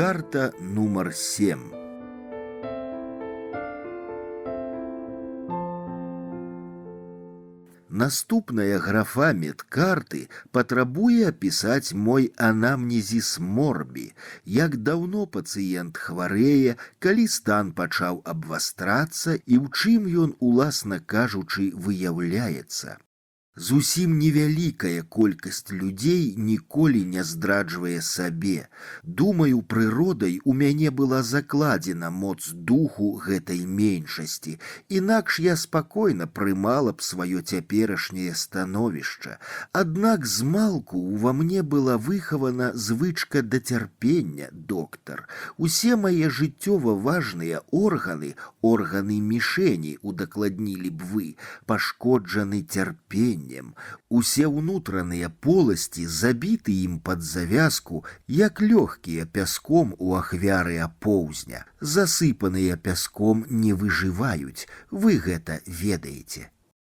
Медкарта нумар 7. Наступная графа медкарты патрабуе апісаць мой анамнезіс морбі, як даўно пацыент хварэе, калі стан пачаў абвастрацца і ў чым ён, уласна кажучы, выяўляецца. Зусім невялікая колькасць людзей ніколі не здраджвае сабе. Думаю, прыродай у мяне была закладзена моц духу гэтай меншасці, інакш я спакойна прымала б сваё цяперашняе становішча. Аднак змалку ува мне была выхавана звычка да цярпення, доктар. Усе мае жыццёва важныя органы мішэні, удакладнілі б вы, пашкоджаны цярпеннем. Усе ўнутраныя поласці забіты ім пад завязку, як лёгкія пяском у ахвяры апоўзня. Засыпаныя пяском не выжываюць, вы гэта ведаеце.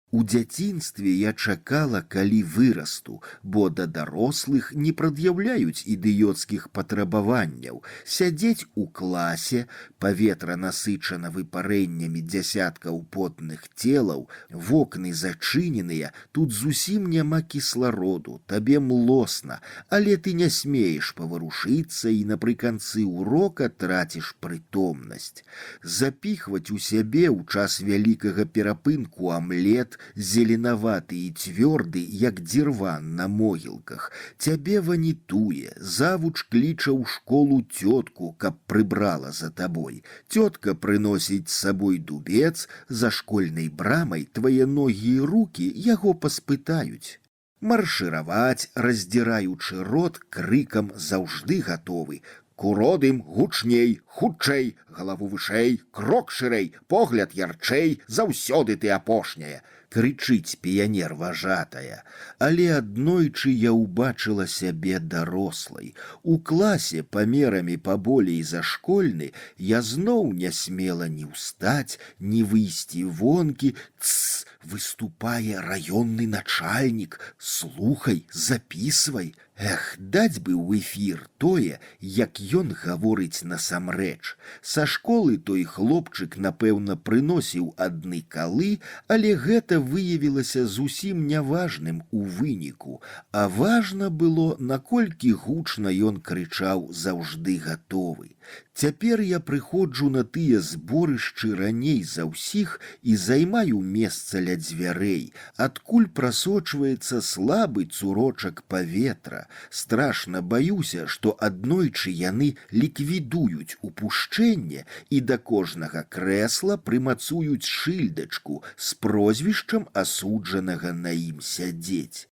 У дзяцінстве я чакала, калі вырасту, бо да дарослых не прад'яўляюць ідыёцкіх патрабаванняў. Сядзець у класе, паветра насычана выпарэннямі дзясяткаў потных целаў, вокны зачыненыя, тут зусім няма кіслароду, табе млосна, але ты не смееш паварушыцца і напрыканцы ўрока траціш прытомнасць. Запіхваць у сябе ў час вялікага перапынку амлет, зеленаваты і цвёрды, як дзірван на могілках. Цябе ванітуе, завуч кліча ў школу цётку, каб прыбрала за табой. Цётка прыносіць з сабой дубец, за школьнай брамай твае ногі і рукі яго паспытаюць. Маршыраваць, раздзіраючы рот, крыкам заўжды гатовы. Куродым гучней, хутчэй, галаву вышэй, крок шырэй, погляд ярчэй, заўсёды ты апошняя. Крычыць піянер важатая. Але аднойчы я ўбачыла сябе дарослай. У класе памерамі паболей за школьны я зноў не смела ні ўстаць, ні выйсці вонкі. Тсс, выступае раённы начальнік. Слухай, запісвай. Эх, даць бы ў эфір тое, як ён гаворыць насамрэч. Са школы той хлопчык, напэўна, прыносіў адны калы, але гэта выявілася зусім няважным у выніку, а важна было, наколькі гучна ён крычаў заўжды гатовы. Цяпер я прыходжу на тыя зборышчы раней за ўсіх і займаю месца ля дзвярэй, адкуль прасочваецца слабы цурочак паветра. Страшна баюся, што аднойчы яны ліквідуюць упушчэнне і да кожнага крэсла прымацуюць шыльдачку з прозвішчам асуджанага на ім сядзець.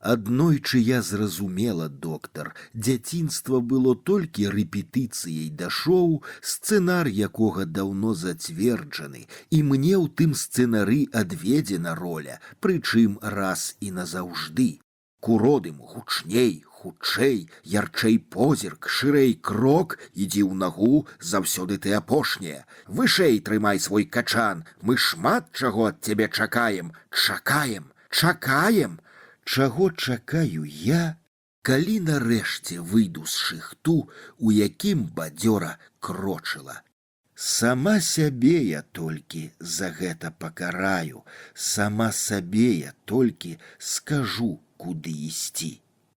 Аднойчы я зразумела, доктар, дзяцінства было толькі рэпетыцыяй да шоу, сцэнар якога даўно зацверджаны, і мне ў тым сцэнары адведзена роля, прычым раз і назаўжды. Куродым гучней, хутчэй, ярчэй позірк, шырэй крок, ідзі ў нагу, заўсёды ты апошняя. Вышэй трымай свой качан, мы шмат чаго ад цябе чакаем, чакаем. Чаго чакаю я, калі нарэшце выйду з шыхту, у якім бадзёра крочыла. Сама сябе я толькі за гэта пакараю, сама сабе я толькі скажу, куды ісці.